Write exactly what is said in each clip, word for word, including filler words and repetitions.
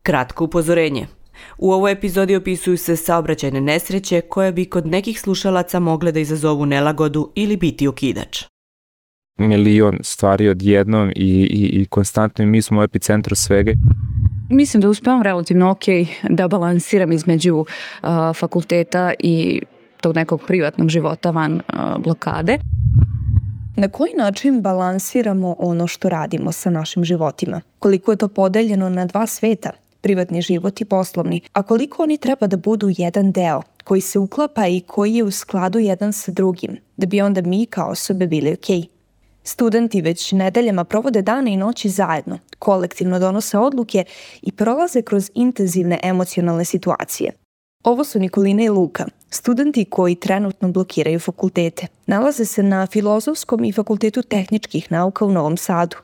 Kratko upozorenje. U ovoj epizodi opisuju se saobraćajne nesreće koje bi kod nekih slušalaca mogle da izazovu nelagodu ili biti okidač. Milion stvari odjednom i, i, i konstantno i mi smo u epicentru svega. Mislim da uspevam relativno ok da balansiram između uh, fakulteta i tog nekog privatnog života van uh, blokade. Na koji način balansiramo ono što radimo sa našim životima? Koliko je to podeljeno na dva sveta, privatni život i poslovni, a koliko oni treba da budu jedan deo koji se uklapa i koji je u skladu jedan sa drugim, da bi onda mi kao osobe bili okej. Studenti već nedeljama provode dane i noći zajedno, kolektivno donose odluke i prolaze kroz intenzivne emocionalne situacije. Ovo su Nikolina i Luka, studenti koji trenutno blokiraju fakultete. Nalaze se na Filozofskom i Fakultetu tehničkih nauka u Novom Sadu.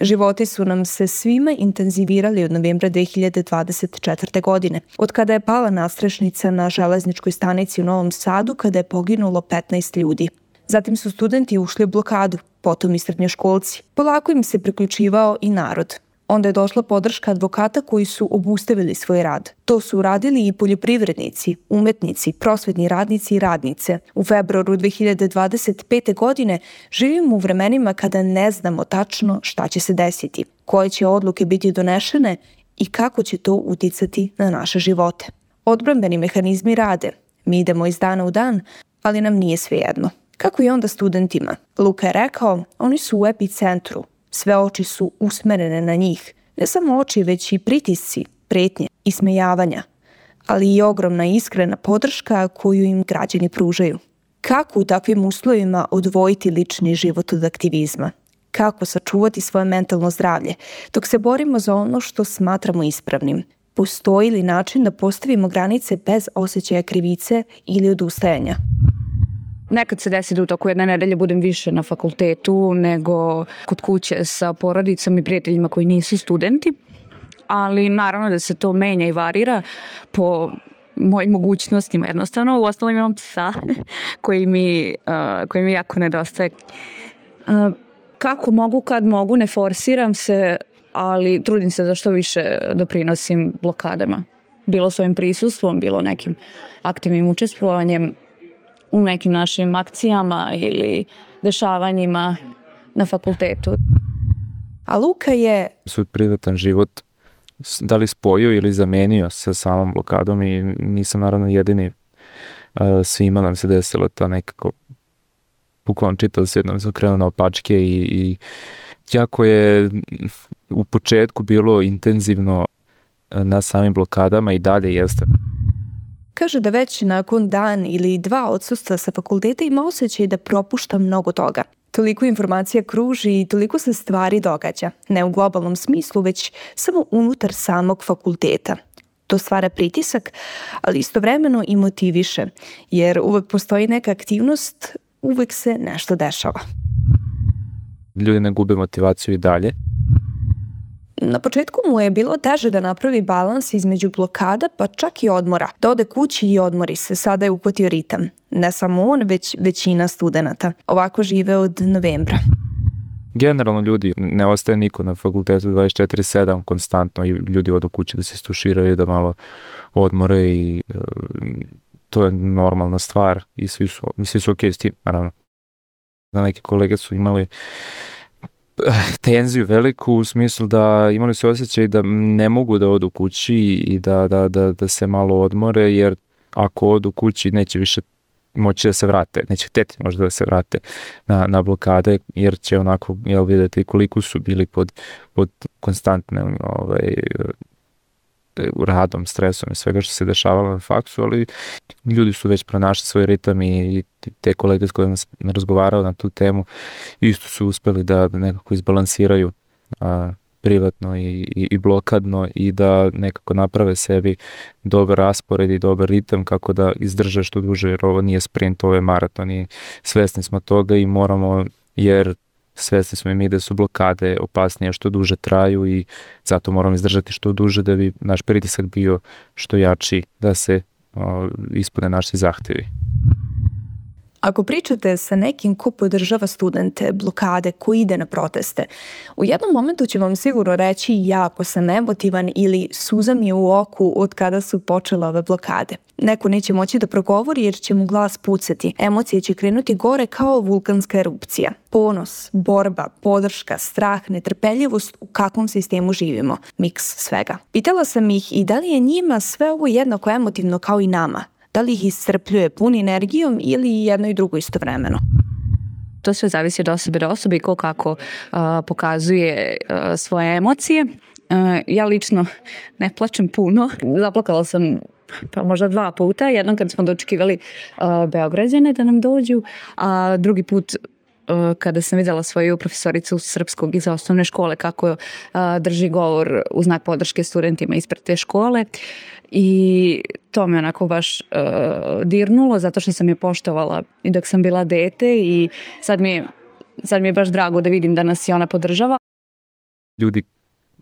Životi su nam se svima intenzivirali od novembra dve hiljade dvadeset četvrte. godine, od kada je pala nadstrešnica na železničkoj stanici u Novom Sadu kada je poginulo petnaest ljudi. Zatim su studenti ušli u blokadu, potom i srednjoškolci. Polako im se priključivao i narod. Onda je došla podrška advokata koji su obustavili svoj rad. To su uradili i poljoprivrednici, umetnici, prosvetni radnici i radnice. U februaru dve hiljade dvadeset pete. godine živimo u vremenima kada ne znamo tačno šta će se desiti, koje će odluke biti donešene i kako će to uticati na naše živote. Odbrambeni mehanizmi rade. Mi idemo iz dana u dan, ali nam nije svejedno. Kako i onda studentima? Luka je rekao, oni su u epicentru. Sve oči su usmerene na njih. Ne samo oči, već i pritisci, pretnje, ismejavanja, ali i ogromna iskrena podrška koju im građani pružaju. Kako u takvim uslovima odvojiti lični život od aktivizma? Kako sačuvati svoje mentalno zdravlje dok se borimo za ono što smatramo ispravnim? Postoji li način da postavimo granice bez osjećaja krivice ili odustajanja? Nekad se desi da u toku jedne nedelje budem više na fakultetu nego kod kuće sa porodicom i prijateljima koji nisu studenti, ali naravno da se to menja i varira po mojim mogućnostima jednostavno. U ostalom imam psa koji mi, uh, koji mi jako nedostaje. Uh, kako mogu, kad mogu, ne forsiram se, ali trudim se da što više doprinosim blokadama. Bilo svojim prisustvom, bilo nekim aktivnim učestvovanjem u nekim našim akcijama ili dešavanjima na fakultetu. A Luka je svoj privatan život da li spojio ili zamenio sa samom blokadom i nisam naravno jedini. Svima nam se desilo ta nekako bukvalno čitao se jednom se okrenuo na opačke i, i jako je u početku bilo intenzivno na samim blokadama i dalje jeste. Kaže da već nakon dan ili dva odsustva sa fakulteta ima osjećaj da propušta mnogo toga. Toliko informacija kruži i toliko se stvari događa. Ne u globalnom smislu, već samo unutar samog fakulteta. To stvara pritisak, ali istovremeno i motiviše, jer uvek postoji neka aktivnost, uvek se nešto dešava. Ljudi ne gube motivaciju i dalje. Na početku mu je bilo teže da napravi balans između blokada pa čak i odmora. Da ode kući i odmori se, sada je uhvatio ritam. Ne samo on, već većina studenata. Ovako žive od novembra. Generalno ljudi, ne ostaje niko na fakultetu dvadeset četiri sedam konstantno i ljudi odu kući da se istuširaju, da malo odmore i uh, to je normalna stvar i svi su, svi su okej s tim, naravno. Da neke kolege su imali tenziju veliku u smislu da imali su osjećaj da ne mogu da odu kući i da, da, da, da se malo odmore, jer ako odu kući neće više moći da se vrate, neće hteti možda da se vrate na, na blokade, jer će onako jel, vidjeti koliko su bili pod, pod konstantnim ovaj, radom, stresom i svega što se dešavalo na faksu, ali ljudi su već pronašli svoj ritam i te kolege s kojima sam razgovarao na tu temu isto su uspeli da nekako izbalansiraju a, privatno i, i, i blokadno i da nekako naprave sebi dobar raspored i dobar ritam kako da izdrže što duže, jer ovo nije sprint, ovo je maraton i svesni smo toga i moramo, jer svesni smo i mi da su blokade opasnije što duže traju i zato moramo izdržati što duže da bi naš pritisak bio što jači da se o, ispune naši zahtevi. Ako pričate sa nekim ko podržava studente, blokade, ko ide na proteste, u jednom momentu će vam sigurno reći jako sam emotivan ili suza mi je u oku od kada su počele ove blokade. Neko neće moći da progovori jer će mu glas pucati. Emocije će krenuti gore kao vulkanska erupcija. Ponos, borba, podrška, strah, netrpeljivost, u kakvom sistemu živimo. Miks svega. Pitala sam ih i da li je njima sve ovo jednako emotivno kao i nama. Da li ih iscrpljuje pun energijom ili jedno i drugo istovremeno? To sve zavisi od osobe do osobe i ko kako uh, pokazuje uh, svoje emocije. Uh, ja lično ne plačem puno. Zaplakala sam pa možda dva puta. Jednom kad smo dočekivali uh, Beograđane da nam dođu, a drugi put uh, kada sam vidjela svoju profesoricu srpskog iz osnovne škole kako uh, drži govor u znak podrške studentima ispred te škole. I to me onako baš uh, dirnulo zato što sam je poštovala i dok sam bila dete i sad mi, je, sad mi je baš drago da vidim da nas i ona podržava. Ljudi,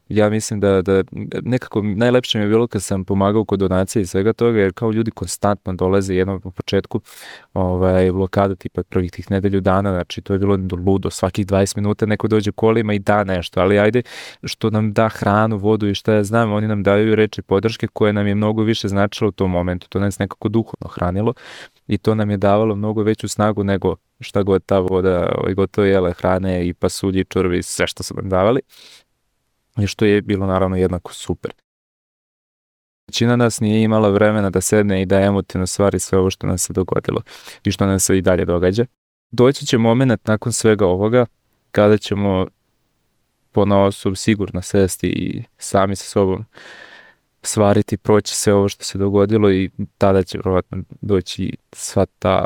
ja mislim da, da nekako najlepše mi je bilo kad sam pomagao kod donacije i svega toga, jer kao ljudi konstantno dolaze jednom u početku ovaj, blokada tipa prvih tih nedelju dana, znači to je bilo ludo, svakih dvadeset minuta neko dođe kolima i da nešto, ali ajde što nam da hranu, vodu i šta ja znam, oni nam daju reči podrške koje nam je mnogo više značilo u tom momentu, to nas nekako duhovno hranilo i to nam je davalo mnogo veću snagu nego šta god ta voda, ovaj, gotovo jele hrane i pasulji, čurvi, sve što su nam davali. I što je bilo naravno jednako super. Većina nas nije imala vremena da sedne i da emotivno stvari sve ovo što nam se dogodilo i što nam se i dalje događa. Doći će moment nakon svega ovoga kada ćemo ponaosob sigurno sesti i sami sa sobom svariti, proći sve ovo što se dogodilo i tada će vjerovatno doći sva ta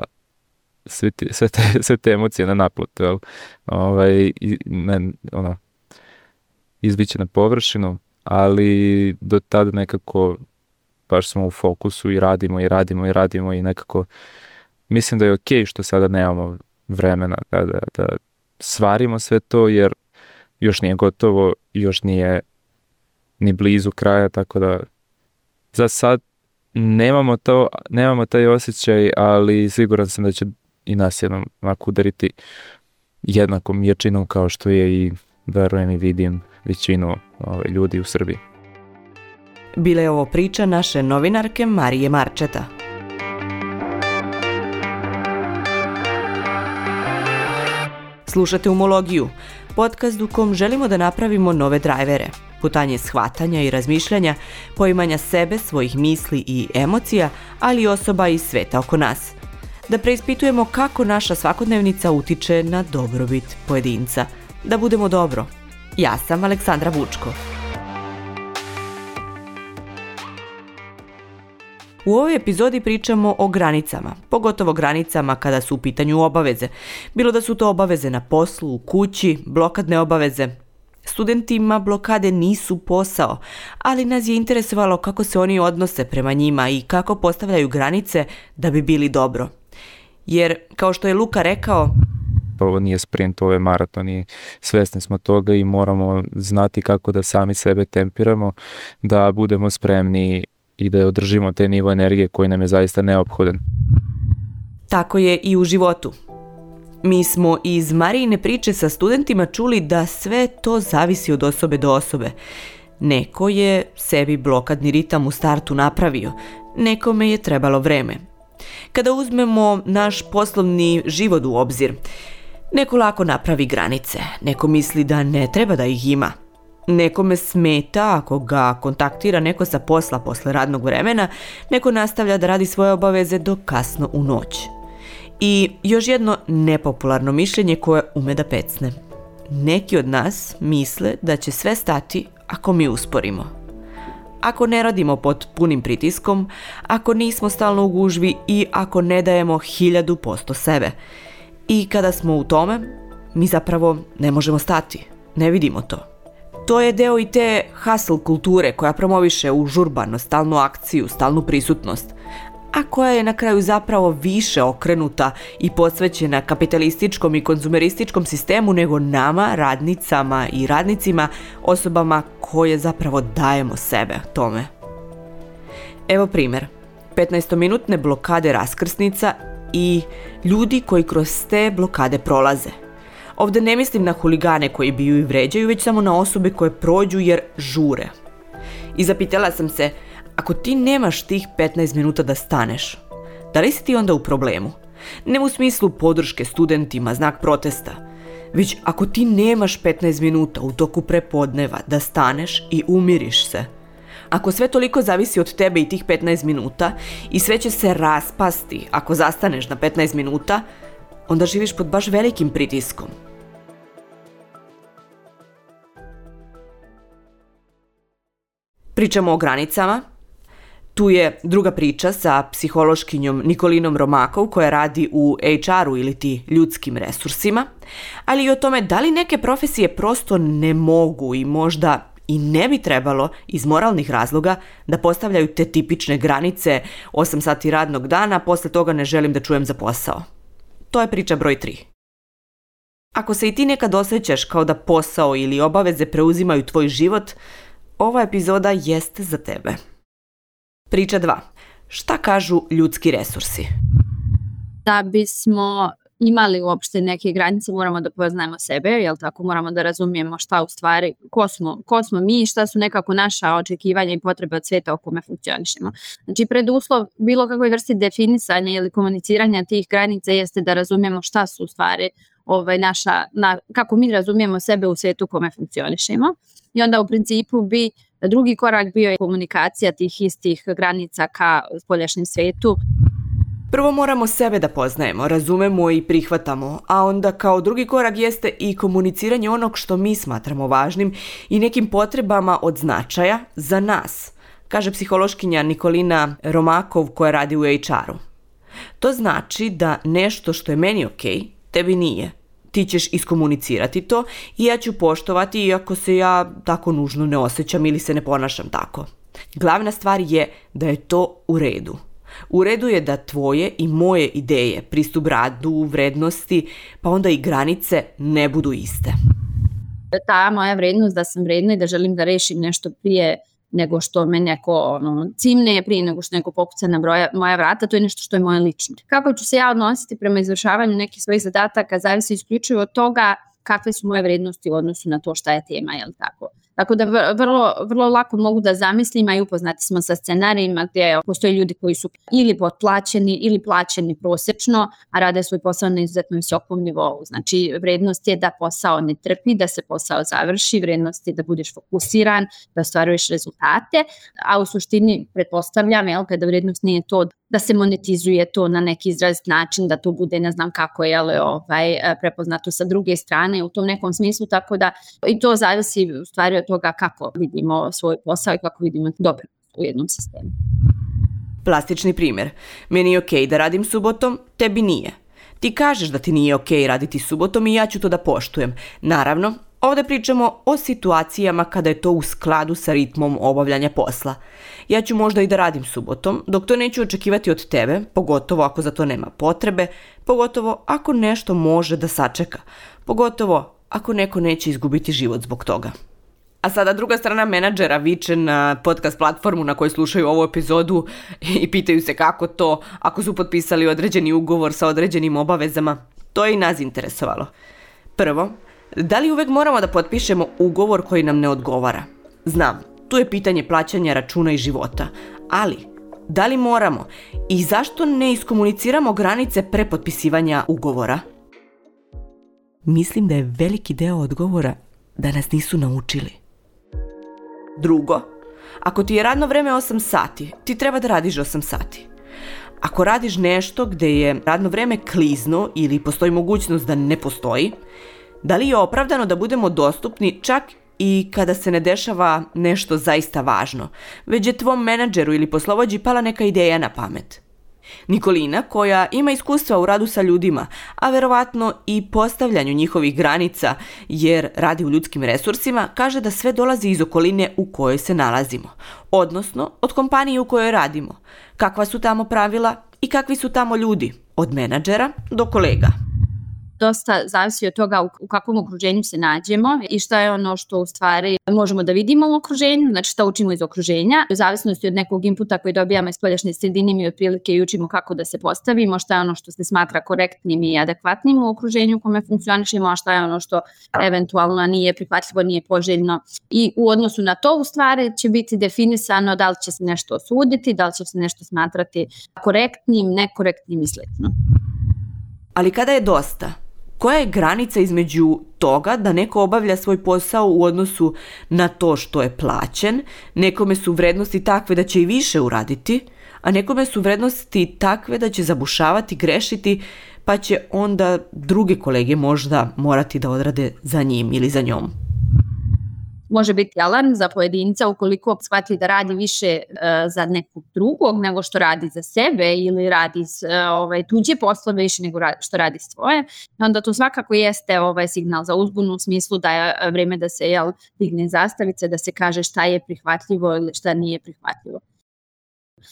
sve te, sve te, sve te emocije na naplatu, jel? Ovaj, ne, ono, izbiće na površinu, ali do tada nekako baš smo u fokusu i radimo i radimo i radimo i nekako mislim da je okej što sada nemamo vremena da, da, da svarimo sve to jer još nije gotovo, još nije ni blizu kraja, tako da za sad nemamo, to, nemamo taj osjećaj, ali siguran sam da će i nas jednom ovako udariti jednakom jačinom kao što je i verujem i vidim većinu ove, ljudi u Srbiji. Bila je ovo priča naše novinarke Marije Marčeta. Slušate Umologiju, podcast u kom želimo da napravimo nove drajvere, putanje shvatanja i razmišljanja, poimanja sebe, svojih misli i emocija, ali i osoba iz sveta oko nas. Da preispitujemo kako naša svakodnevnica utiče na dobrobit pojedinca. Da budemo dobro. Ja sam Aleksandra Vučko. U ovoj epizodi pričamo o granicama, pogotovo granicama kada su u pitanju obaveze. Bilo da su to obaveze na poslu, u kući, blokadne obaveze. Studentima blokade nisu posao, ali nas je interesovalo kako se oni odnose prema njima i kako postavljaju granice da bi bili dobro. Jer, kao što je Luka rekao, ovo nije sprint, ovo je maraton i svesni smo toga i moramo znati kako da sami sebe tempiramo, da budemo spremni i da održimo te nivo energije koji nam je zaista neophodan. Tako je i u životu. Mi smo iz Marijine priče sa studentima čuli da sve to zavisi od osobe do osobe. Neko je sebi blokadni ritam u startu napravio, nekome je trebalo vreme. Kada uzmemo naš poslovni život u obzir, neko lako napravi granice, neko misli da ne treba da ih ima. Nekome smeta ako ga kontaktira neko sa posla posle radnog vremena, neko nastavlja da radi svoje obaveze do kasno u noć. I još jedno nepopularno mišljenje koje ume da pecne. Neki od nas misle da će sve stati ako mi usporimo. Ako ne radimo pod punim pritiskom, ako nismo stalno u gužvi i ako ne dajemo hiljadu posto sebe. I kada smo u tome, mi zapravo ne možemo stati, ne vidimo to. To je deo i te hustle kulture koja promoviše užurbano, stalnu akciju, stalnu prisutnost, a koja je na kraju zapravo više okrenuta i posvećena kapitalističkom i konzumerističkom sistemu nego nama, radnicama i radnicima, osobama koje zapravo dajemo sebe tome. Evo primjer. petnaestominutne blokade raskrsnica i ljudi koji kroz te blokade prolaze. Ovdje ne mislim na huligane koji biju i vređaju, već samo na osobe koje prođu jer žure. I zapitala sam se, ako ti nemaš tih petnaest minuta da staneš, da li si ti onda u problemu? Ne u smislu podrške studentima, znak protesta, već ako ti nemaš petnaest minuta u toku prepodneva da staneš i umiriš se. Ako sve toliko zavisi od tebe i tih petnaest minuta i sve će se raspasti ako zastaneš na petnaest minuta, onda živiš pod baš velikim pritiskom. Pričamo o granicama. Tu je druga priča sa psihološkinjom Nikolinom Romakov koja radi u H R-u ili ti ljudskim resursima, ali i o tome da li neke profesije prosto ne mogu i možda i ne bi trebalo iz moralnih razloga da postavljaju te tipične granice osam sati radnog dana, posle toga ne želim da čujem za posao. To je priča broj tri. Ako se i ti nekad osjećaš kao da posao ili obaveze preuzimaju tvoj život, ova epizoda jeste za tebe. Priča dva. Šta kažu ljudski resursi? Da bismo imali uopšte neke granice, moramo da poznajemo sebe, jel tako? Moramo da razumijemo šta u stvari, ko smo, ko smo mi, šta su nekako naša očekivanja i potrebe od sveta o kome funkcionišemo. Znači, preduslov bilo kakvoj vrsti definisanja ili komuniciranja tih granica jeste da razumijemo šta su u stvari ovaj, naša, na, kako mi razumijemo sebe u svetu u kome funkcionišemo. I onda u principu bi drugi korak bio je komunikacija tih istih granica ka spoljašnjem svetu. Prvo moramo sebe da poznajemo, razumemo i prihvatamo, a onda kao drugi korak jeste i komuniciranje onog što mi smatramo važnim i nekim potrebama od značaja za nas, kaže psihološkinja Nikolina Romakov koja radi u H R-u. To znači da nešto što je meni ok, tebi nije. Ti ćeš iskomunicirati to i ja ću poštovati iako se ja tako nužno ne osjećam ili se ne ponašam tako. Glavna stvar je da je to u redu. U redu je da tvoje i moje ideje, pristup radu, vrednosti, pa onda i granice ne budu iste. Ta moja vrednost da sam vredna i da želim da rešim nešto prije nego što me neko ono, cimne, prije nego što neko pokuca na broja, moja vrata, to je nešto što je moje lično. Kako ću se ja odnositi prema izvršavanju nekih svojih zadataka zavisi isključivo od toga kakve su moje vrednosti u odnosu na to šta je tema, jel tako? Tako da vrlo, vrlo lako mogu da zamislim, a i upoznati smo sa scenarijima gdje postoje ljudi koji su ili potplaćeni ili plaćeni prosečno, a rade svoj posao na izuzetno visokom nivou. Znači, vrednost je da posao ne trpi, da se posao završi, vrednost je da budeš fokusiran, da ostvaruješ rezultate, a u suštini pretpostavljam, jel, kada vrednost nije to da se monetizuje to na neki izrazit način, da to bude ne znam kako je ovaj, prepoznato sa druge strane u tom nekom smislu, tako da i to zavisi u stvari od toga kako vidimo svoj posao i kako vidimo dobro u jednom sistemu. Plastični primjer. Meni je okej da radim subotom, tebi nije. Ti kažeš da ti nije okej raditi subotom i ja ću to da poštujem. Naravno, ovdje pričamo o situacijama kada je to u skladu sa ritmom obavljanja posla. Ja ću možda i da radim subotom, dok to neću očekivati od tebe, pogotovo ako za to nema potrebe, pogotovo ako nešto može da sačeka, pogotovo ako neko neće izgubiti život zbog toga. A sada druga strana menadžera viče na podcast platformu na kojoj slušaju ovu epizodu i pitaju se kako to ako su potpisali određeni ugovor sa određenim obavezama. To je i nas interesovalo. Prvo, da li uvek moramo da potpišemo ugovor koji nam ne odgovara? Znam, tu je pitanje plaćanja računa i života, ali da li moramo i zašto ne iskomuniciramo granice pre potpisivanja ugovora? Mislim da je veliki deo odgovora da nas nisu naučili. Drugo, ako ti je radno vreme osam sati, ti treba da radiš osam sati. Ako radiš nešto gde je radno vreme klizno ili postoji mogućnost da ne postoji, da li je opravdano da budemo dostupni čak i kada se ne dešava nešto zaista važno, već je tvom menadžeru ili poslovođi pala neka ideja na pamet? Nikolina, koja ima iskustva u radu sa ljudima, a verovatno i postavljanju njihovih granica jer radi u ljudskim resursima, kaže da sve dolazi iz okoline u kojoj se nalazimo, odnosno od kompanije u kojoj radimo. Kakva su tamo pravila i kakvi su tamo ljudi, od menadžera do kolega. dosta zavisi od toga u, u kakvom okruženju se nađemo i šta je ono što u stvari možemo da vidimo u okruženju, znači šta učimo iz okruženja. U zavisnosti od nekog inputa koji dobijamo iz spoljašnje sredine mi otprilike i učimo kako da se postavimo, šta je ono što se smatra korektnim i adekvatnim u okruženju u kome funkcionišemo, a šta je ono što eventualno nije prihvatljivo, nije poželjno. I u odnosu na to u stvari će biti definisano da li će se nešto osuditi, da li će se nešto smatrati korektnim, nekorektnim i slično. Ali kada je dosta? Koja je granica između toga da neko obavlja svoj posao u odnosu na to što je plaćen, nekome su vrednosti takve da će i više uraditi, a nekome su vrednosti takve da će zabušavati, grešiti, pa će onda druge kolege možda morati da odrade za njim ili za njom? Može biti alarm za pojedinca ukoliko shvati da radi više uh, za nekog drugog nego što radi za sebe ili radi uh, ovaj, tuđe poslove više nego radi, što radi svoje. Onda to svakako jeste ovaj signal za uzbunu u smislu da je vreme da se jel, digne zastavice, da se kaže šta je prihvatljivo ili šta nije prihvatljivo.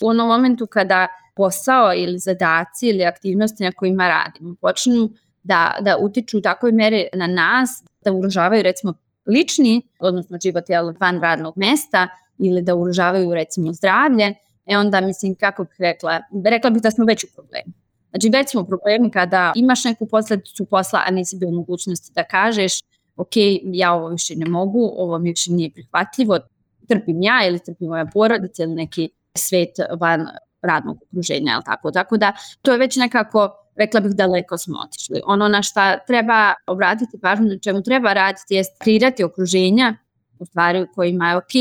U onom momentu kada posao ili zadaci ili aktivnosti na kojima radimo počnu da, da utiču u takvoj meri na nas, da ugrožavaju recimo lični, odnosno život van radnog mesta ili da ugrožavaju recimo zdravlje, e onda mislim kako bih rekla, rekla bih da smo već u problemu. Znači već smo u problemu kada imaš neku posledicu posla, a nisi bio u mogućnosti da kažeš ok, ja ovo više ne mogu, ovo mi više nije prihvatljivo, trpim ja ili trpim moja porodica ili neki svet van radnog okruženja, ili tako. Tako da to je već nekako, rekla bih, daleko smo otišli. Ono na šta treba obratiti pažnju, na čemu treba raditi je kreirati okruženja u stvari u kojima je ok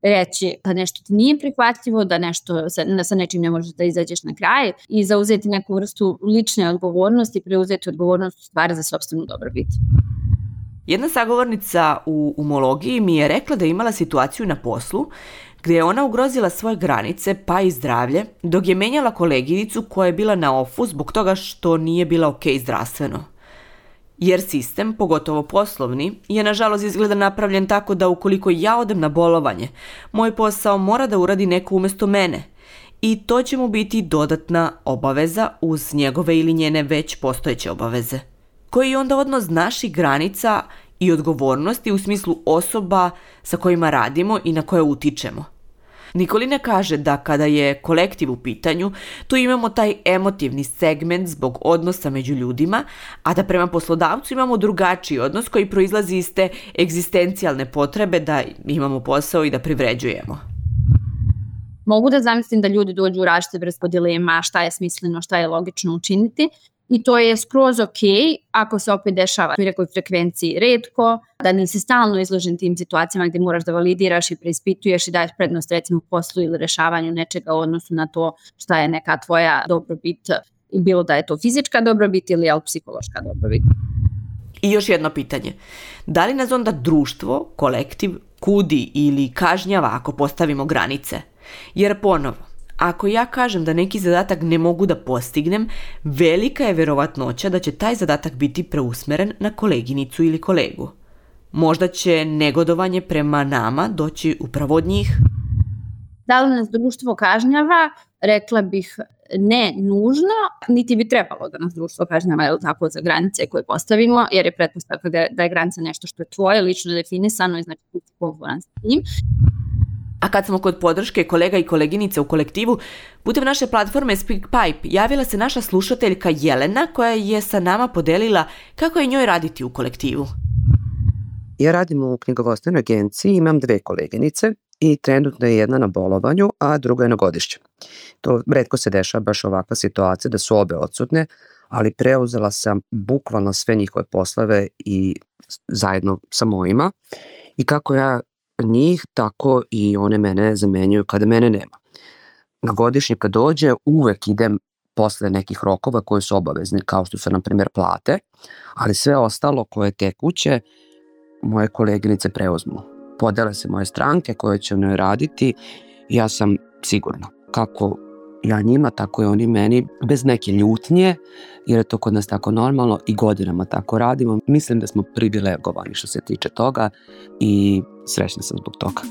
reći da nešto ti nije prihvatljivo, da nešto sa, sa nečim ne možeš da izađeš na kraj i zauzeti neku vrstu lične odgovornosti, preuzeti odgovornost u stvari za sopstvenu dobrobit. Jedna sagovornica u umologiji mi je rekla da je imala situaciju na poslu gdje je ona ugrozila svoje granice pa i zdravlje dok je menjala koleginicu koja je bila na ofu zbog toga što nije bila ok zdravstveno. Jer sistem, pogotovo poslovni, je nažalost izgleda napravljen tako da ukoliko ja odem na bolovanje, moj posao mora da uradi neko umjesto mene i to će mu biti dodatna obaveza uz njegove ili njene već postojeće obaveze. Koji je onda odnos naših granica i odgovornosti u smislu osoba sa kojima radimo i na koje utičemo. Nikolina kaže da kada je kolektiv u pitanju, tu imamo taj emotivni segment zbog odnosa među ljudima, a da prema poslodavcu imamo drugačiji odnos koji proizlazi iz te egzistencijalne potrebe da imamo posao i da privređujemo. Mogu da zamislim da ljudi dođu u različite vrste dilema, šta je smisleno, šta je logično učiniti. I to je skroz ok ako se opet dešava u nekoj frekvenciji retko, da nisi stalno izložen tim situacijama gdje moraš da validiraš i preispituješ i daješ prednost recimo poslu ili rešavanju nečega u odnosu na to šta je neka tvoja dobrobit, bilo da je to fizička dobrobit ili je psihološka dobrobit. I još jedno pitanje. Da li nas onda društvo, kolektiv, kudi ili kažnjava ako postavimo granice? Jer ponovo, ako ja kažem da neki zadatak ne mogu da postignem, velika je verovatnoća da će taj zadatak biti preusmeren na koleginicu ili kolegu. Možda će negodovanje prema nama doći upravo od njih. Da li nas društvo kažnjava? Rekla bih ne nužno, niti bi trebalo da nas društvo kažnjava, je li tako, za granice koje postavimo, jer je pretpostavka da, da je granica nešto što je tvoje, lično definisano i znači ti si konforman s tim. A kad smo kod podrške kolega i koleginica u kolektivu, putem naše platforme SpeakPipe javila se naša slušateljka Jelena koja je sa nama podelila kako je njoj raditi u kolektivu. Ja radim u knjigovodstvenoj agenciji, imam dve koleginice i trenutno je jedna na bolovanju, a druga je na godišću. To retko se dešava baš ovakva situacija da su obe odsutne, ali preuzela sam bukvalno sve njihove poslove i zajedno sa mojima. I kako ja njih, tako i one mene zamenjuju kada mene nema. Na godišnji kad dođe, uvek idem posle nekih rokova koji su obavezni, kao što su, na primjer, plate, ali sve ostalo koje je tekuće, moje koleginice preuzmu. Podele se moje stranke koje će u njoj raditi i ja sam sigurna. Kako ja njima, tako i oni meni, bez neke ljutnje, jer je to kod nas tako normalno i godinama tako radimo. Mislim da smo privilegovani što se tiče toga i srećna sam zbog toga.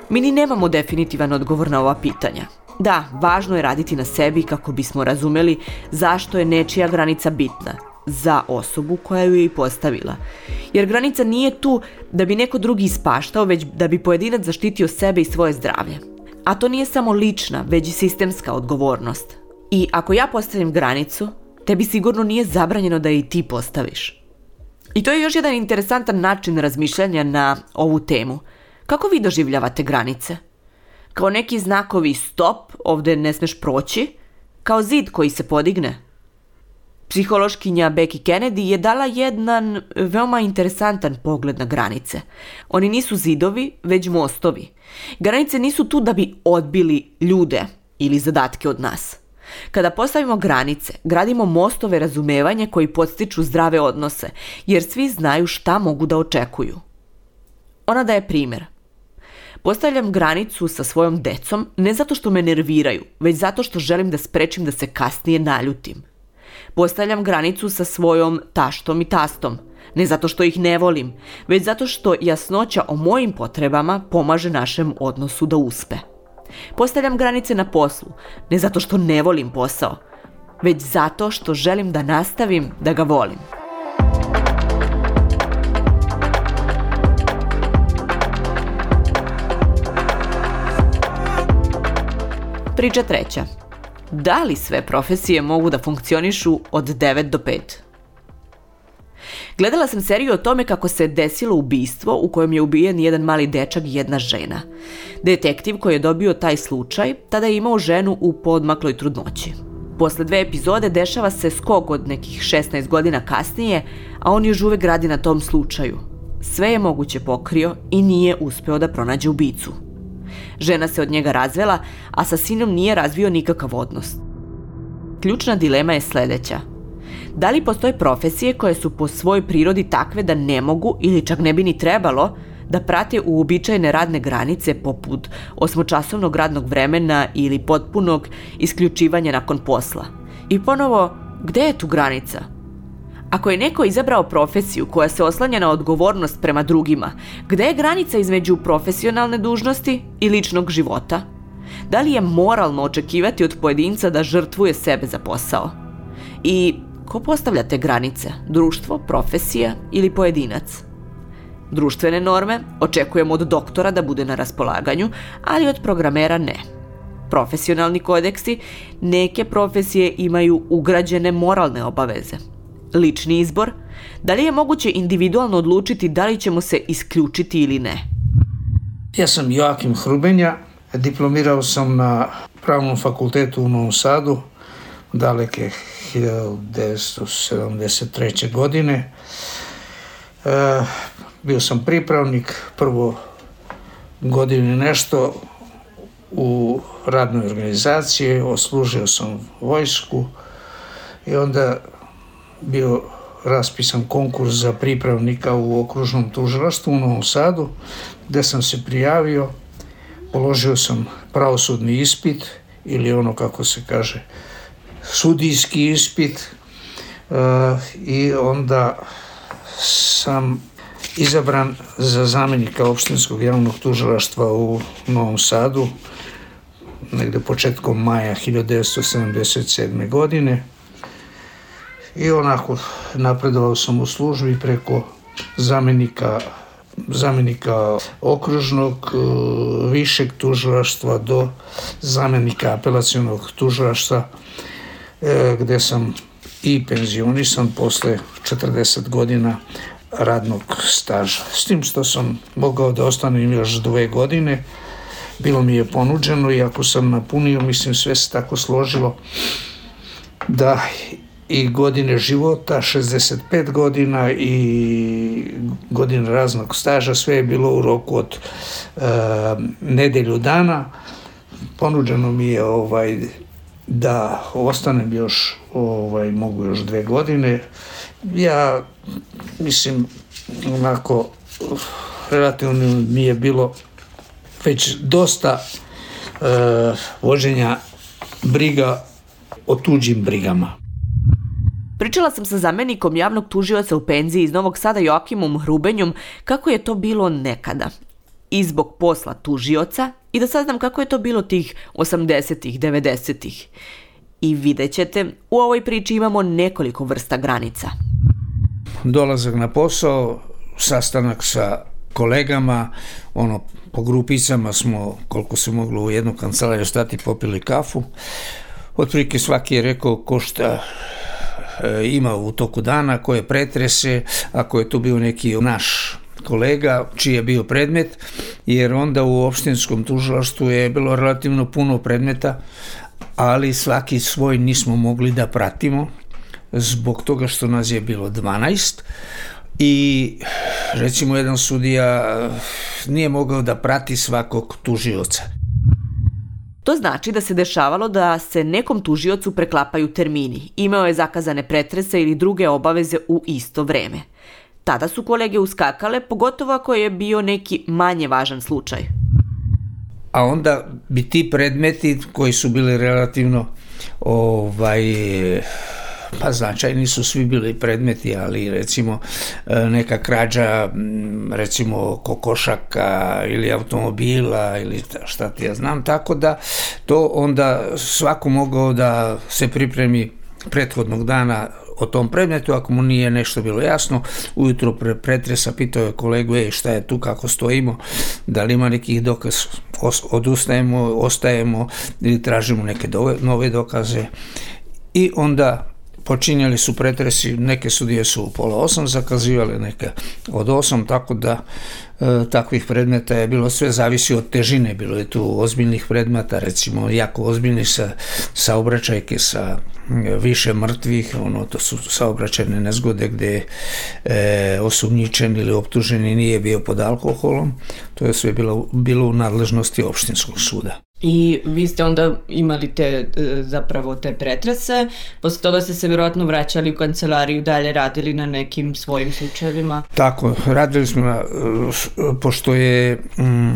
Mi ni nemamo definitivan odgovor na ova pitanja. Da, važno je raditi na sebi kako bismo razumeli zašto je nečija granica bitna za osobu koja ju je i postavila. Jer granica nije tu da bi neko drugi ispaštao, već da bi pojedinac zaštitio sebe i svoje zdravlje. A to nije samo lična, već i sistemska odgovornost. I ako ja postavim granicu, tebi sigurno nije zabranjeno da je i ti postaviš. I to je još jedan interesantan način razmišljanja na ovu temu. Kako vi doživljavate granice? Kao neki znakovi stop, ovdje ne smeš proći, kao zid koji se podigne? Psihološkinja Becky Kennedy je dala jedan veoma interesantan pogled na granice. Oni nisu zidovi, već mostovi. Granice nisu tu da bi odbili ljude ili zadatke od nas. Kada postavimo granice, gradimo mostove razumevanja koji podstiču zdrave odnose, jer svi znaju šta mogu da očekuju. Ona daje primjer. Postavljam granicu sa svojom decom ne zato što me nerviraju, već zato što želim da sprečim da se kasnije naljutim. Postavljam granicu sa svojom taštom i tastom, ne zato što ih ne volim, već zato što jasnoća o mojim potrebama pomaže našem odnosu da uspe. Postavljam granice na poslu, ne zato što ne volim posao, već zato što želim da nastavim da ga volim. Priča treća. Da li sve profesije mogu da funkcionišu od devet do pet? Gledala sam seriju o tome kako se desilo ubistvo u kojem je ubijen jedan mali dečak i jedna žena. Detektiv koji je dobio taj slučaj tada je imao ženu u poodmakloj trudnoći. Posle dve epizode dešava se skok od nekih šesnaest godina kasnije, a on još uvek radi na tom slučaju. Sve je moguće pokrio i nije uspeo da pronađe ubicu. Žena se od njega razvela, a sa sinom nije razvio nikakav odnos. Ključna dilema je sledeća. Da li postoje profesije koje su po svojoj prirodi takve da ne mogu ili čak ne bi ni trebalo da prate uobičajene radne granice poput osmočasovnog radnog vremena ili potpunog isključivanja nakon posla? I ponovo, gde je tu granica? Ako je neko izabrao profesiju koja se oslanja na odgovornost prema drugima, gde je granica između profesionalne dužnosti i ličnog života? Da li je moralno očekivati od pojedinca da žrtvuje sebe za posao? I ko postavlja te granice? Društvo, profesija ili pojedinac? Društvene norme očekujemo od doktora da bude na raspolaganju, ali od programera ne. Profesionalni kodeksi, neke profesije imaju ugrađene moralne obaveze. Lični izbor, da li je moguće individualno odlučiti da li ćemo se isključiti ili ne? Ja sam Joakim Hrubenja, diplomirao sam na Pravnom fakultetu u Novom Sadu, daleke hiljadu devetsto sedamdeset treće. godine. E, bio sam pripravnik, prvo godinu nešto u radnoj organizaciji, odslužio sam vojsku i onda bio raspisan konkurs za pripravnika u okružnom tužilaštvu u Novom Sadu, gde sam se prijavio, položio sam pravosudni ispit ili ono kako se kaže sudijski ispit uh, i onda sam izabran za zamenika opštinskog javnog tužilaštva u Novom Sadu negde početkom maja hiljadu devetsto sedamdeset sedme. godine. I onako napredovao sam u službi preko zamenika, zamenika okružnog višeg tužilaštva do zamenika apelacionog tužilaštva, gde sam i penzionisan posle četrdeset godina radnog staža. S tim što sam mogao da ostanem još dve godine, bilo mi je ponuđeno i ako sam napunio, mislim sve se tako složilo da i godine života, šezdeset pet godina i godine raznog staža, sve je bilo u roku od e, nedelju dana. Ponuđeno mi je ovaj, da ostanem još, ovaj, mogu još dve godine. Ja, mislim, onako, relativno mi je bilo već dosta e, vođenja briga o tuđim brigama. Pričala sam sa zamenikom javnog tužioca u penziji iz Novog Sada Joakimom Hrubenjom kako je to bilo nekada. I zbog posla tužioca i da saznam kako je to bilo tih osamdesetih, devedesetih. I vidjet ćete, u ovoj priči imamo nekoliko vrsta granica. Dolazak na posao, sastanak sa kolegama, ono, po grupicama smo, koliko se moglo u jednu kancelariju stati, popili kafu. Otprilike svaki je rekao ko šta e, ima u toku dana, koje pretrese, ako je tu bio neki naš kolega čiji je bio predmet, jer onda u opštinskom tužilaštvu je bilo relativno puno predmeta, ali svaki svoj nismo mogli da pratimo zbog toga što nas je bilo dvanaest i recimo jedan sudija nije mogao da prati svakog tužioca. To znači da se dešavalo da se nekom tužiocu preklapaju termini, imao je zakazane pretrese ili druge obaveze u isto vreme. Tada su kolege uskakale, pogotovo ako je bio neki manje važan slučaj. A onda bi ti predmeti koji su bili relativno ovaj, pa značajni su svi bili predmeti, ali recimo neka krađa recimo kokošaka ili automobila ili šta ti ja znam, tako da to onda svako mogao da se pripremi prethodnog dana o tom predmetu, ako mu nije nešto bilo jasno, ujutro pre pretresa pitao je kolegu, ej, šta je tu, kako stojimo, da li ima nekih dokaz, odustajemo, ostajemo ili tražimo neke dove, nove dokaze i onda počinjali su pretresi, neke sudije su u pola osam zakazivali, neke od osam, tako da e, takvih predmeta je bilo, sve zavisi od težine, bilo je tu ozbiljnih predmeta, recimo jako ozbiljni sa saobraćajke sa više mrtvih, ono, to su saobraćajne nezgode gde e, osumnjičen ili optuženi nije bio pod alkoholom, to je sve bilo, bilo u nadležnosti opštinskog suda. I vi ste onda imali te, zapravo te pretrese, posle toga ste se vjerojatno vraćali u kancelariju, dalje radili na nekim svojim slučajevima? Tako, radili smo na, pošto je mm,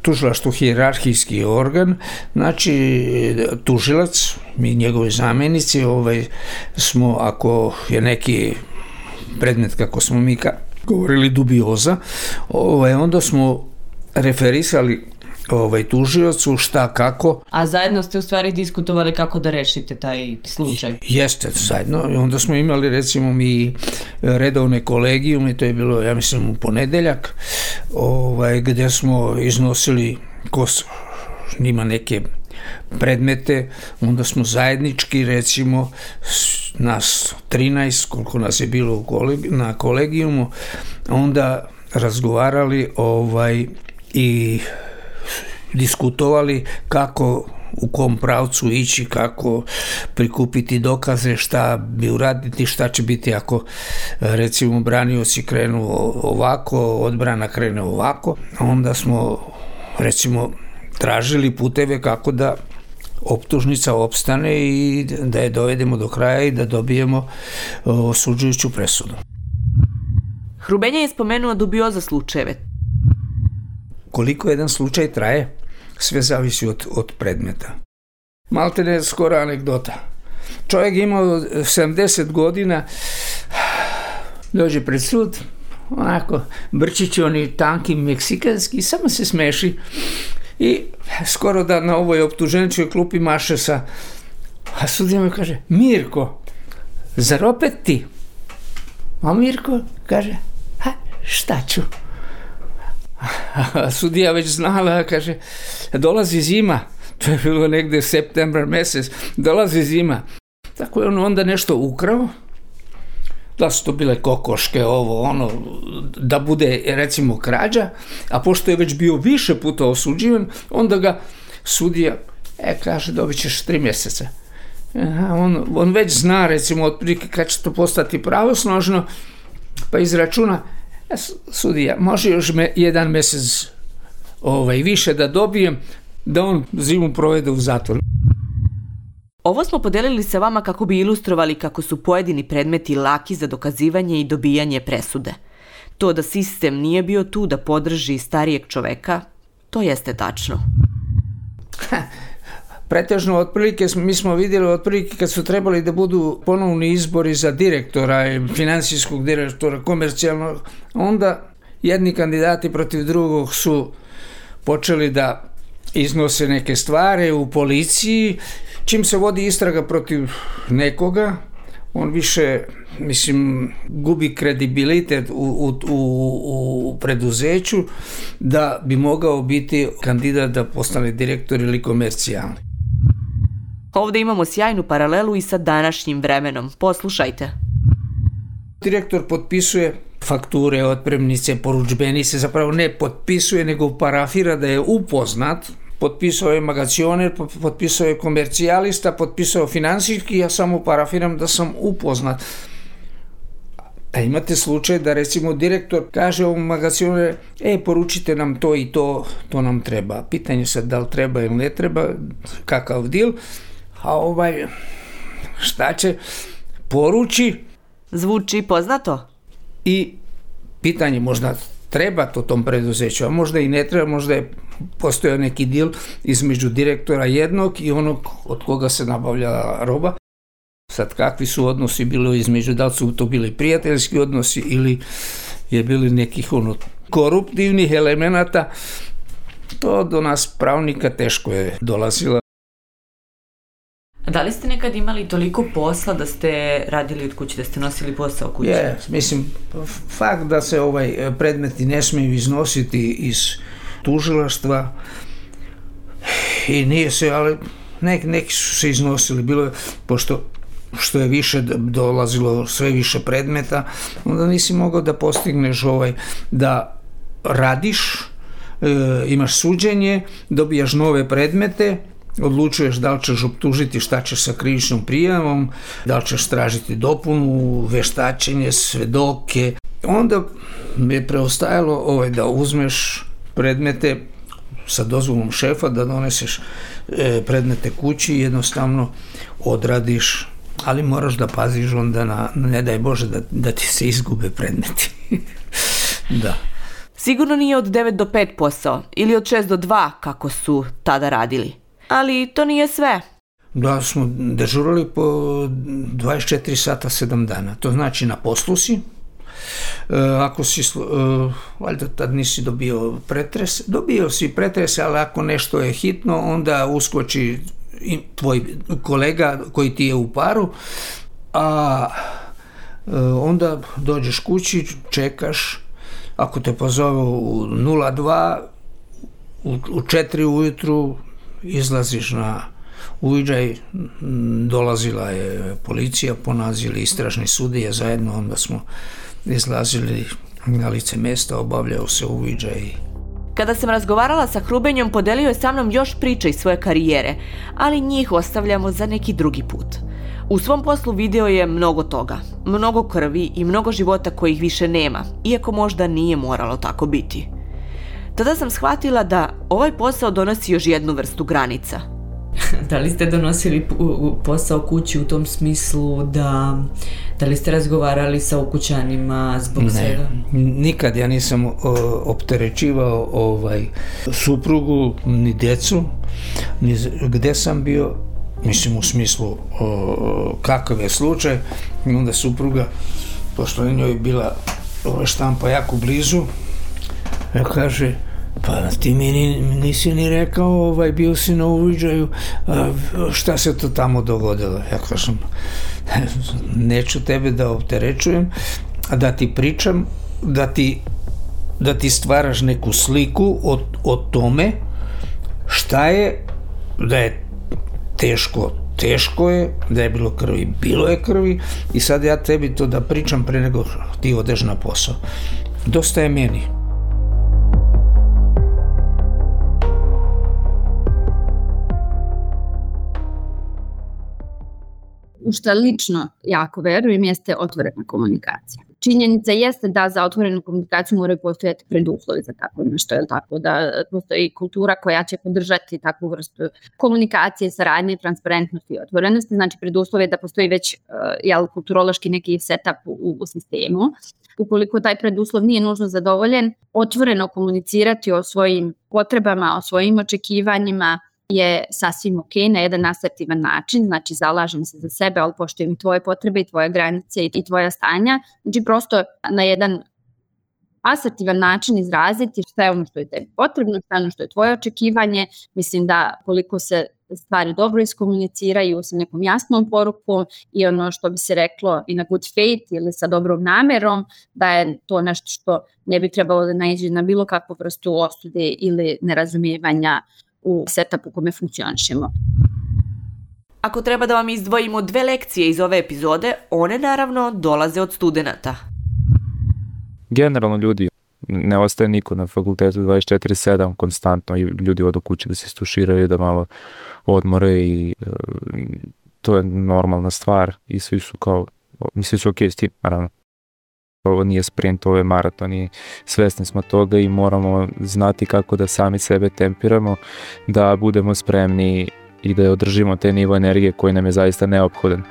tužilaštvo hijerarhijski organ, znači tužilac, mi njegovi zamenici, ovaj, smo, ako je neki predmet, kako smo mi ka, govorili, dubioza, ovaj, onda smo referisali ovaj tužiocu šta kako. A zajedno ste u stvari diskutovali kako da rešite taj slučaj? Jeste, zajedno. I onda smo imali recimo mi redovne kolegijume, to je bilo, ja mislim, u ponedeljak, ovaj, gde smo iznosili ko ima neke predmete, onda smo zajednički, recimo, nas trinaest, koliko nas je bilo u kolegi, na kolegijumu, onda razgovarali ovaj, i diskutovali kako, u kom pravcu ići, kako prikupiti dokaze, šta bi uraditi, šta će biti ako recimo branioci krenu ovako, odbrana krene ovako. Onda smo recimo tražili puteve kako da optužnica opstane i da je dovedemo do kraja i da dobijemo osuđujuću presudu. Hrubenja je spomenuo dubioza slučajeve. Koliko jedan slučaj traje, sve zavisi od, od predmeta. Malte ne skoro anegdota. Čovjek imao sedamdeset godina, dođe pred sud, onako, brčić oni tanki meksikanski, samo se smeši i skoro da na ovoj optuženičkoj klupi maše sa, a sudija mu kaže, Mirko, zar opet ti? A Mirko kaže, ha, šta ću? A sudija već znala, kaže, dolazi zima, to je bilo negde septembar mesec, dolazi zima. Tako je on onda nešto ukrao, da su to bile kokoške, ovo, ono, da bude recimo krađa, a pošto je već bio više puta osuđivan, onda ga sudija, e, kaže, dobit ćeš tri mjeseca. Aha, on, on već zna, recimo, otprilike kad će to postati pravosnožno, pa izračuna, sudija, može još me jedan mjesec ovaj, više da dobijem, da on zimu provede u zatvoru. Ovo smo podelili sa vama kako bi ilustrovali kako su pojedini predmeti laki za dokazivanje i dobijanje presude. To da sistem nije bio tu da podrži starijeg čoveka, to jeste tačno. Pretežno, otprilike, mi smo vidjeli otprilike kad su trebali da budu ponovni izbori za direktora, finansijskog direktora, komercijalnog, onda jedni kandidati protiv drugog su počeli da iznose neke stvari u policiji. Čim se vodi istraga protiv nekoga, on više, mislim, gubi kredibilitet u, u, u, u preduzeću da bi mogao biti kandidat da postane direktor ili komercijalni. Ovdje imamo sjajnu paralelu i sa današnjim vremenom. Poslušajte. Direktor potpisuje fakture, otpremnice, porudžbenice, zapravo ne potpisuje, nego parafira da je upoznat. Potpisao je magacioner, potpisao je komercijalista, potpisao finansijski, ja samo parafiram da sam upoznat. A imate slučaj da recimo direktor kaže ovom magacioneru, e, poručite nam to i to, to nam treba. Pitanje sad da li treba ili ne treba, kakav dil, a ovaj, šta će, poruči. Zvuči poznato? I pitanje možda treba to tom preduzeću, a možda i ne treba, možda je postojao neki dil između direktora jednog i onog od koga se nabavlja roba. Sad kakvi su odnosi bilo između, da li su to bili prijateljski odnosi ili je bili nekih ono koruptivnih elemenata, to do nas pravnika teško je dolazilo. A da li ste nekad imali toliko posla da ste radili od kuće, da ste nosili posao kuće? Je, mislim, fakt da se ovaj predmeti ne smiju iznositi iz tužilaštva i nije se, ali nek, neki su se iznosili, bilo je, pošto što je više dolazilo sve više predmeta, onda nisi mogao da postigneš ovaj, da radiš, e, imaš suđenje, dobijaš nove predmete, odlučuješ da li ćeš optužiti, šta ćeš sa krivičnom prijavom, da li ćeš tražiti dopunu, veštačenje, svedoke. Onda mi je preostajalo ovaj, da uzmeš predmete sa dozvolom šefa, da doneseš e, predmete kući i jednostavno odradiš, ali moraš da paziš onda na, ne daj Bože da, da ti se izgube predmeti. Da. Sigurno nije od devet do pet posao ili od šest do dva kako su tada radili. Ali to nije sve. Da, smo dežurali po dvadeset četiri sata sedam dana. To znači na poslu si. E, ako si, e, valjda tad nisi dobio pretres, dobio si pretres, ali ako nešto je hitno, onda uskoči i tvoj kolega koji ti je u paru, a e, onda dođeš kući, čekaš, ako te pozove u nula dva, u, u četiri ujutru izlaziš na uviđaj, dolazila je policija, ponazili istražni sudije zajedno, onda smo izlazili na lice mjesta, obavljao se uviđaj. Kada sam razgovarala sa Hrubenjom, podelio je sa mnom još priče iz svoje karijere, ali njih ostavljamo za neki drugi put. U svom poslu video je mnogo toga, mnogo krvi i mnogo života kojih više nema, iako možda nije moralo tako biti. Tada sam shvatila da ovaj posao donosi još jednu vrstu granica. Da li ste donosili posao kući u tom smislu da, da li ste razgovarali sa ukućanima zbog svega? Ne, nikad ja nisam o, opterećivao ovaj, suprugu ni djecu, ni gde sam bio, mislim u smislu o, kakav je slučaj, i onda supruga, pošto je njoj bila ova štampa jako blizu, ja kaže, pa ti mi nisi ni rekao, ovaj, bio si na uviđaju, šta se to tamo dogodilo? Ja kažem, neću tebe da opterećujem, a da ti pričam, da ti, da ti stvaraš neku sliku o, o tome šta je, da je teško, teško je, da je bilo krvi, bilo je krvi i sad ja tebi to da pričam pre nego ti odeš na posao. Dosta je meni. U što lično jako verujem jeste otvorena komunikacija. Činjenica jeste da za otvorenu komunikaciju moraju postojati preduslovi za tako nešto, je tako da postoji kultura koja će podržati takvu vrstu komunikacije, saradnje, transparentnosti i otvorenosti. Znači preduslov je da postoji već uh, jel, kulturološki neki setup u, u sistemu. Ukoliko taj preduslov nije nužno zadovoljen, otvoreno komunicirati o svojim potrebama, o svojim očekivanjima, je sasvim ok, na jedan asertivan način, znači zalažem se za sebe, ali poštujem i tvoje potrebe i tvoje granice i tvoja stanja, znači prosto na jedan asertivan način izraziti šta je ono što je tebi potrebno, šta je ono što je tvoje očekivanje. Mislim da koliko se stvari dobro iskomuniciraju sa nekom jasnom porukom i ono što bi se reklo i na good faith ili sa dobrom namerom, da je to nešto što ne bi trebalo da naiđe na bilo kakvu vrstu osude ili nerazumijevanja u setupu u kome funkcionišemo. Ako treba da vam izdvojimo dve lekcije iz ove epizode, one naravno dolaze od studenata. Generalno ljudi, ne ostaje niko na fakultetu dvadeset četiri sedam konstantno i ljudi odu kući da se istuširaju, da malo odmore i uh, to je normalna stvar i svi su kao, svi su okej s tim, naravno. Ovo nije sprint, ovo je maraton i svesni smo toga i moramo znati kako da sami sebe tempiramo, da budemo spremni i da održimo te nivo energije koji nam je zaista neophodan.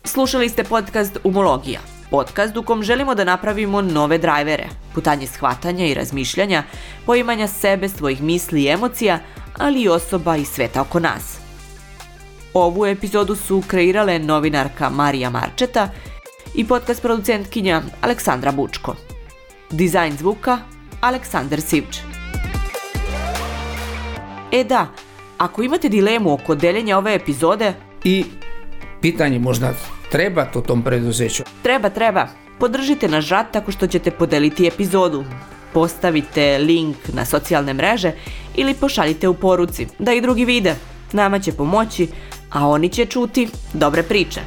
Slušali ste podcast Umologija, podcast u kom želimo da napravimo nove drajvere, putanje shvatanja i razmišljanja, poimanja sebe, svojih misli i emocija, ali i osoba i sveta oko nas. Ovu epizodu su kreirale novinarka Marija Marčeta i podcast producentkinja Aleksandra Bučko. Dizajn zvuka Aleksandar Sivč. E da, ako imate dilemu oko deljenja ove epizode I pitanje možda treba to tom preduzeću. Treba, treba. Podržite naš rad tako što ćete podeliti epizodu. Postavite link na socijalne mreže ili pošaljite u poruci da i drugi vide. Nama će pomoći, a oni će čuti dobre priče.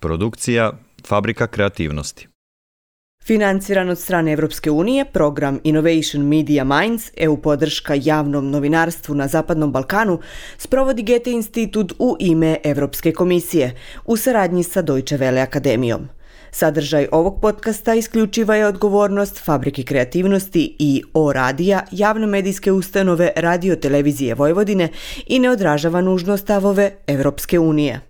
Produkcija Fabrika kreativnosti. Financiran od strane Evropske unije, program Innovation Media Minds, E U podrška javnom novinarstvu na Zapadnom Balkanu, sprovodi Goethe institut u ime Evropske komisije, u saradnji sa Deutsche Welle akademijom. Sadržaj ovog podcasta isključiva je odgovornost Fabrike kreativnosti i O radija, javne medijske ustanove Radio Televizije Vojvodine i ne odražava nužno stavove Evropske unije.